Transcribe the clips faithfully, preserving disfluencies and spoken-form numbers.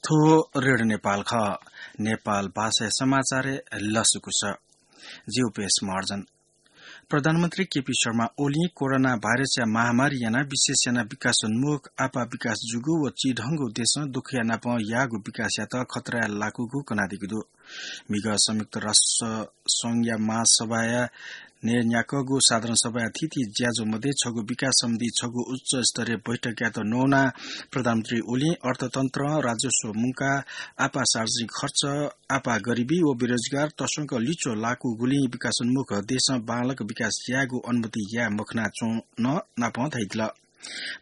थ्व रेडियो नेपाल खः। नेपाल भाषाया समाचारय् लसकुस। जिगु पेश महर्जन। प्रधानमन्त्री केपी शर्मा ओलीं कोरोना भाइरसया महामारी यानाः विशेष यानाः विकासोन्मुख आपाः विकास जूगु व चिधंगु देशं दुःखया नापं याःगु विकासयात खतराय् लाकूगु कनादीगु दु। म्हिगः संयुक्त राष्ट्र संघया महासभाया न्हय्‌न्ह्याकःगु साधारण सभाया थीथी ज्याझ्वः मध्ये छगू विकास सम्बन्धी छगू उच्च स्तरीय बैठकयात नवानाः प्रधानमन्त्री ओलीं अर्थतन्त्र, राजस्व मुंकाः, आपाः सार्वजनिक खर्च, आपाः गरिबी व बेरोजगार तसकं लिच्वः लाकूगुलिं विकासोन्मुख देशं बांलाक विकास यायेगु अनुमति याये मखनाच्वन नापं धयादिल।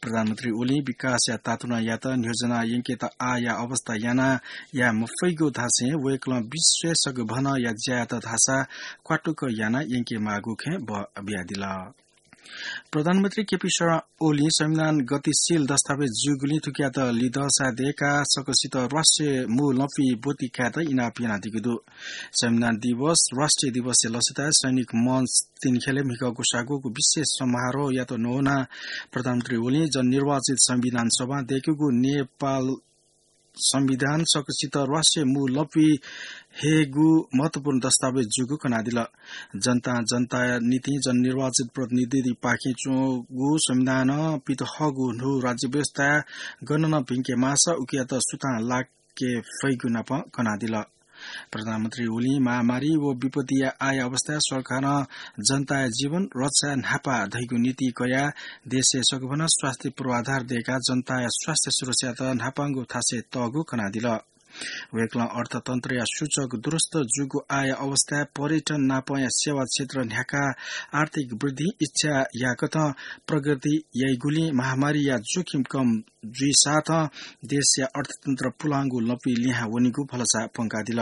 प्रधानमन्त्री ओलीं विकासया तातुनायात न्ह्यज्वना यंकेत आःया अवस्था यानाः याये मफइगु धासें वय्‌कलं विश्वय् सगभनया ज्यायात धाःसा क्वातुक याना यंकेमाःगु खँय् बः बियादिल। प्रधानमन्त्री केपी शर्मा ओलीं संविधान गतिशील दस्तावेज जूगुलिं थुकियात लिधंसाय् दय्‌काः सकसित राष्ट्रिय मू लँपुइ ब्वति कायेत इनाप यानादीगु दु। संविधान दिवस, राष्ट्रिय दिवसया लसताय् सैनिक मञ्च तिनिख्यलय् म्हिगः ग्वसाः ग्वःगु विशेष समारोहयात नवानाः प्रधानमन्त्री ओलीं जननिर्वाचित संविधान सभां दय्‌कूगु नेपाल संविधान सकसित राष्ट्रिय मू लँपुइ हयेगु महत्वपूर्ण दस्तावेज जूगु कनादिल। जनतां जनताया निंतिं जननिर्वाचित प्रतिनिधिपाखें च्वंगु संविधानं पित हःगु न्हू राज्य व्यवस्थाय् गन नं भिंके माःसा उकियात सुथां लाके फइगु नापं कनादिल। प्रधानमन्त्री ओलीं महामारी व विपत्तिया आःया अवस्थाय् सरकारं जनताया जीवन रक्षाय् न्हापा धइगु नीति कयाः देशय् सगभनं स्वास्थ्य पूर्वाधार दय्‌काः जनताया स्वास्थ्य सुरक्षायात न्हापांगु थासय् तःगु कनादिल। वय्‌कलं अर्थतन्त्रया सूचक दुरुस्त जूगु आःया अवस्थाय् पर्यटन नापंया सेवा क्षेत्र न्ह्याकाः आर्थिक वृद्धि इच्छा याकथं प्रगति याइगुलिं महामारीया जोखिम कम जुइसाथं देशया अर्थतन्त्र पुलांगु लँपुइ लिहां वनीगु भलसा प्वंकादिल।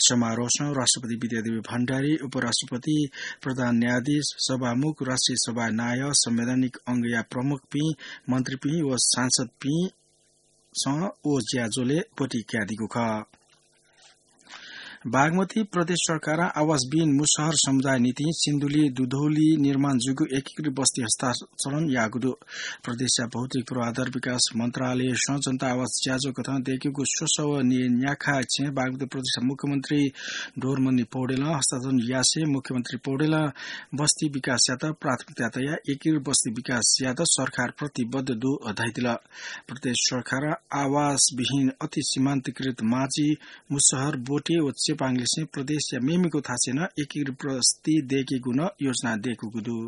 समारोहसं राष्ट्रपति विद्यादेवी भण्डारी, उपराष्ट्रपति, प्रधान न्यायाधीश, सभामुख, राष्ट्रिय सभाया नायः, संवैधानिक अंगया प्रमुखपिं, मन्त्रीपिं व सांसदपिं सं व ज्याझ्वलय् ब्वति कयादीगु खः। बागमती प्रदेश सरकारं आवासविहीन मुसहर समुदाय निंतिं सिन्धुली दुधौली निर्माण जूगु एकीकृत बस्ती हस्तान्तरण याःगु दु। प्रदेशया भौतिक पूर्वाधार विकास मन्त्रालयसं जनता आवास ज्याझ्वः कथं दय्‌कूगु स्वसः व न्हय्‌न्ह्याखा छेँ बागमती प्रदेशया मुख्यमन्त्री डोरमणि पौडेलं हस्तान्तरण यासें मुख्यमन्त्री पौडेलं बस्ती विकासयात प्राथमिकता तयाः एकीकृत बस्ती विकासयात सरकार प्रतिबद्ध दु धयादिल। प्रदेश सरकारं आवासविहीन अति सीमान्तकृत माझी, मुसहर, बोटे व चेपाङलिसें प्रदेशया मेमेगु थासय् नं एकीकृत बस्ती दय्‌केगु नं योजना दय्‌कूगु दु।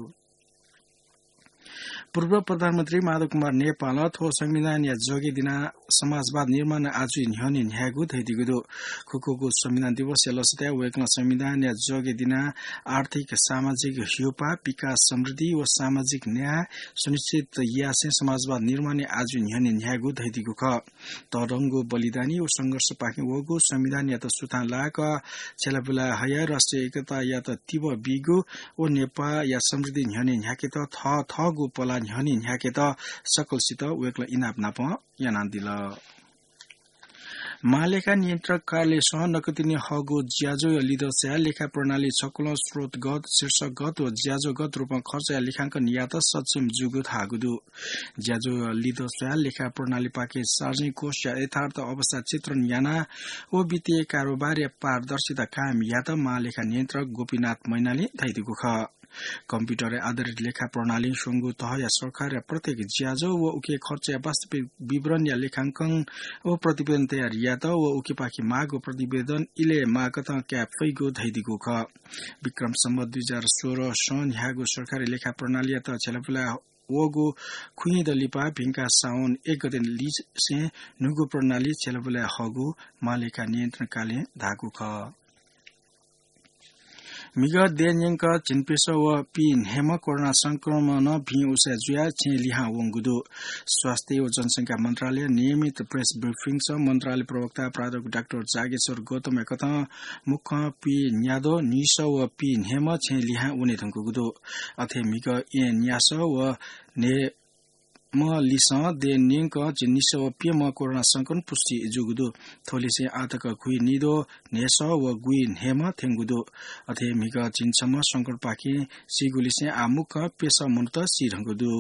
पूर्व प्रधानमन्त्री माधव कुमार नेपालं थ्व संविधानया जगे दिनाः समाजवाद निर्माण आजुइ न्ह्यःने न्ह्यायेगु धयादीगु दु। खुकुगु संविधान दिवसया लसताय् वय्‌कलं संविधानया जगे दिनाः आर्थिक, सामाजिक ह्यूपाः, विकास, समृद्धि व सामाजिक न्याय सुनिश्चित यासें समाजवाद निर्माणय् आजुइ न्ह्यःने न्ह्यायेगु धयादीगु खः। तःधंगु बलिदानी व संघर्षपाखें वःगु संविधानयात सुथां लाक छ्यलाबुला हयाः राष्ट्रिय एकतायात तिबः बीगु व नेपाःया समृद्धि न्ह्यःने न्ह्याकेत थःथःगु पला न्ह्यःने न्ह्याकेत सकलसित वय्‌कलं इनाप नापं यानादिल। महालेखा नियन्त्रक कार्यालयसं नकतिनि हःगु ज्याझ्वःया लिधंसाय् लेखा प्रणाली छकुलं स्रोतगत, शीर्षकगत व ज्याझ्वःगत रूपं खर्चया लेखांकन यायेत सक्षम जूगु धाःगु दु। ज्याझ्वःया लिधंसाय् लेखा प्रणालीपाखें सार्वजनिक कोषया यथार्थ अवस्था चित्रण यानाः व वित्तीय कारोबारया पारदर्शिता कायम यायेत महालेखा नियन्त्रक गोपीनाथ मैनालीं धयादीगु खः। कम्प्युटरय् आधारित लेखा प्रणालीं स्वंगू तहया सरकारया प्रत्येक ज्याझ्वः व उकिया खर्चया वास्तविक विवरणया लेखांकन व प्रतिवेदन तयार यायेत व उकिपाखें माःगु प्रतिवेदन इलय् माःकथं काये फइगु धयादीगु खः। विक्रम सम्वत दुई हजार सोह्रसं न्ह्याःगु सरकारी लेखा प्रणालीयात छ्यलाबुला वःगु खुइद लिपा भिंका साउन एक गते लिसें न्हूगु प्रणाली छ्यलाबुला हःगु महालेखा नियन्त्रण कार्यालयं धाःगु खः। म्हिगः देय् न्यंक झिंप्यसः व पीन्हय्म्ह कोरोना संक्रमणं भिं उसाँय् जुयाः छेँय् लिहां वंगु दु। स्वास्थ्य व जनसंख्या मन्त्रालयया नियमित प्रेस ब्रिफिङसं मन्त्रालय प्रवक्ता प्राध्यापक डाक्टर जागेश्वर गौतमया कथं मुख्यं पीन्याद्वः, न्हिसः व पीन्हय्म्ह छेँय् लिहां वने धुंकूगु दु। अथे म्हिगः येँ न्यासः व न्हय्म्ह लिसं देय् न्यंक झिंनिसः व प्यम्ह कोरोना संक्रमण पुष्टि जूगु दु। थ्वलिसें आःतक घुइनिद्वः, न्हय्सः व गुइन्हय्म्ह थ्यंगु दु। अथे म्हिगः झिंछम्ह संक्रमणपाखें सीगुलिसें आः मुक्कं प्यसः मनूत सी धुंकूगु दु।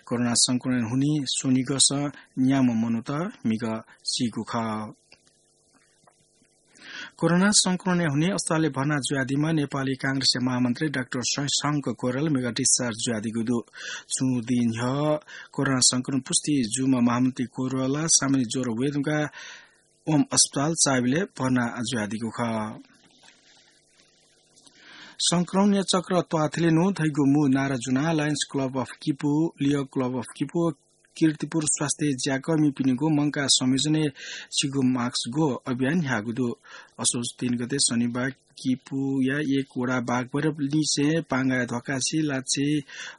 कोरोना संक्रमण हुनिं स्वनिगःसं न्याम्ह मनूत म्हिगः सीगु खः। कोरोना संक्रमणया हुनिं अस्पतालय् भर्ना जुयादीम्ह नेपाली कांग्रेसया महामन्त्री डाक्टर शशांक कोइराला मेगा discharge जुयादीगु दु। छुं दिं न्ह्यः कोरोना संक्रमण पुष्टि जूम्ह महामन्त्री कोइराला सामान्य ज्वरो वये धुंकाः ओम अस्पताल चाबेलय् भर्ना जुयादीगु खः। संक्रमणया चक्र त्वाथले नु धइगु मू नारा जुनाः Lions Club of किपू, Leo Club of किपू, किर्तिपुर स्वास्थ्य ज्याकःमिपिनिगु मंकाः संयोजनय् छिगु mask ग्व अभियान न्ह्याःगु दु। असोज तीन गते शनिबार किपूया एक वडा बागभैरव लिसें पांगाया ध्वाकासी लाछि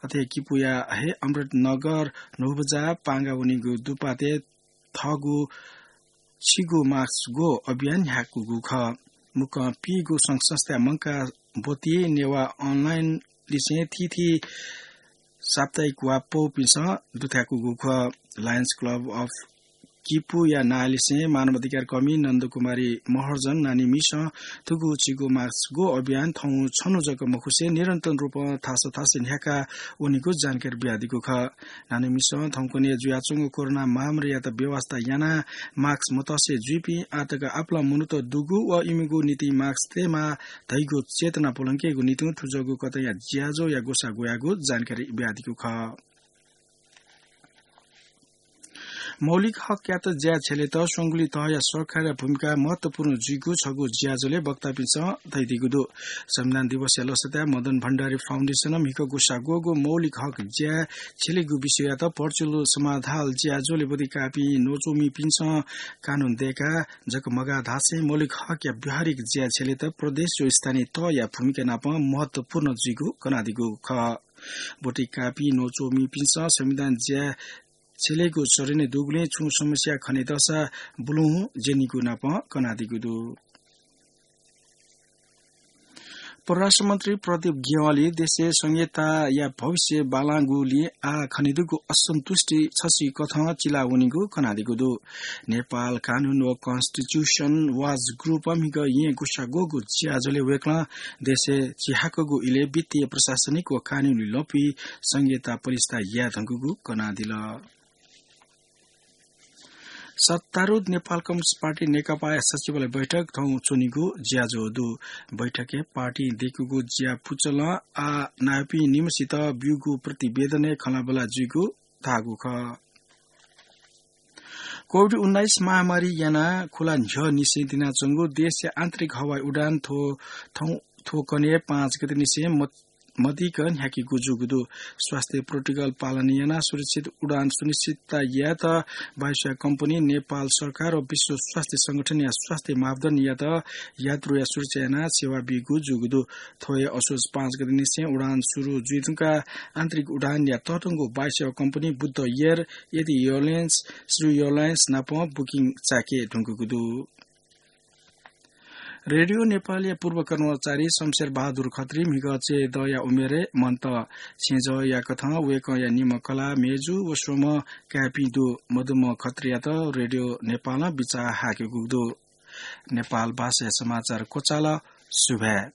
अथे किपूया हे अमृतनगर न्हूबजा पांगा वनीगु दुपातय् थःगु छिगु mask ग्व अभियान न्ह्याकूगु खः। मुक्कं पीगु संघ संस्था मंकाः ब्वति नेवाः online लिसें थीथी साप्ताहिक वा पौपिन्सं दुथ्याकूगु खः। Lions Club of किपूया नांलिसें मानवाधिकार कर्मी नन्दकुमारी महर्जन नानीमिसं थुगु छिगु mask ग्व अभियान थौं छन्हु जक मखुसें निरन्तर रूपं थासं थासं न्ह्याका वनीगु जानकारी बियादीगु खः। नानीमिसं थौंकन्हय् जुयाच्वंगु कोरोना महामारीयात बेवास्ता यानाः mask मतसे जुइपिं आःतक आपालं मनूत दुगु व इमिगु निंतिं mask तयेमाः धइगु चेतना प्वलंकेगु निंतिं थुजःगु कथंया ज्याझ्वःया ग्वसाः ग्वयागु जानकारी बियादीगु खः। मौलिक हकयात ज्याय् छ्यलेत स्वंगुलिं तहया सरकारया भूमिका महत्वपूर्ण जुइगु छगू ज्याझ्वलय् वक्तापिन्सं धयादीगु दु। संविधान दिवसया लसताय् मदन भण्डारी फाउन्डेसनं म्हिगः ग्वसाः ग्वःगु मौलिक हक ज्याय् छ्यलेगु विषययात virtual समाधाल ज्याझ्वलय् ब्वति काःपिं न्वचुमिपिन्सं कानून दय्काः जक मगाः धासें मौलिक हकया व्यावहारिक ज्याय् छ्यलेत प्रदेश व स्थानीय तहया भूमिका नापं महत्वपूर्ण जुइगु कनादीगु खः। ब्वति काःपिं न्वचुमिपिन्सं संविधान ज्याय् छ्यलेगु चरणय् दुगुलिं छुं समस्या खनेदःसा बुलुहुँ ज्यनीगु नापं कनादीगु दु। परराष्ट्र मन्त्री प्रदीप ग्यावाली देशय् संघीयताया भविष्य बांलाःगुलिं आः खनेदुगु असन्तुष्टि छसिकथं चिलावनीगु कनादीगु दु। नेपाल कानून व Constitution Watch Group म्हिगः येँ ग्वसाः ग्वःगु ज्याझ्वलय् वय्कलं देशय् चिहाकःगु इलय् वित्तीय, प्रशासनिक व कानूनी लँपुइ संघीयता पलिस्था याये धुंकूगु कनादिल। सत्तारूढ नेपाल कम्युनिस्ट पार्टी नेकपाया सचिवालय बैठक थौं च्वनीगु ज्याझ्वः दु। बैठकय् पार्टीं दय्कूगु ज्या पुचलं आः नायःपिं निम्हसित ब्यूगु प्रतिवेदनय् खँल्हाबल्हा जुइगु धाःगु खः। कोभिड उन्नाइस महामारी यानाः खुला न्ह्यःनिसें तिनाच्वंगु देशया आन्तरिक हवाई उडान थ्व, थौं, थ्व कन्हय् पाँच गतेनिसें म-, मदिक न्ह्याकेगु जूगु दु। स्वास्थ्य प्रोटोकल पालन यानाः सुरक्षित उडान सुनिश्चितता यायेत वायुसेवा कम्पनी, नेपाल सरकार व विश्व स्वास्थ्य संगठनया स्वास्थ्य मापदण्डयात यात्रुया सुरक्षा यानाः सेवा बीगु जूगु दु। थ्व हे असोज पाँच गतेनिसें उडान सुरु जुइधुंकाः आन्तरिक उडानया तःधंगु वायुसेवा कम्पनी बुद्ध एयर, एथि एयरलाइन्स, श्री एयरलाइन्स नाप बुकिङ चाय्के धुंकूगु दु। रेडियो नेपालया पूर्व कर्मचारी शमशेर बहादुर खत्री म्हिगः चय्दःया उमेरय् मन्त। छेँजःया कथं वय्कःया निम्ह कलाः, मेजु व स्वम्ह काय्पिं दु। मदुम्ह खत्रीयात रेडियो नेपालं बिचाः हाकेगु दु। नेपाल भाषाया समाचार क्वचाल। सुभाय्।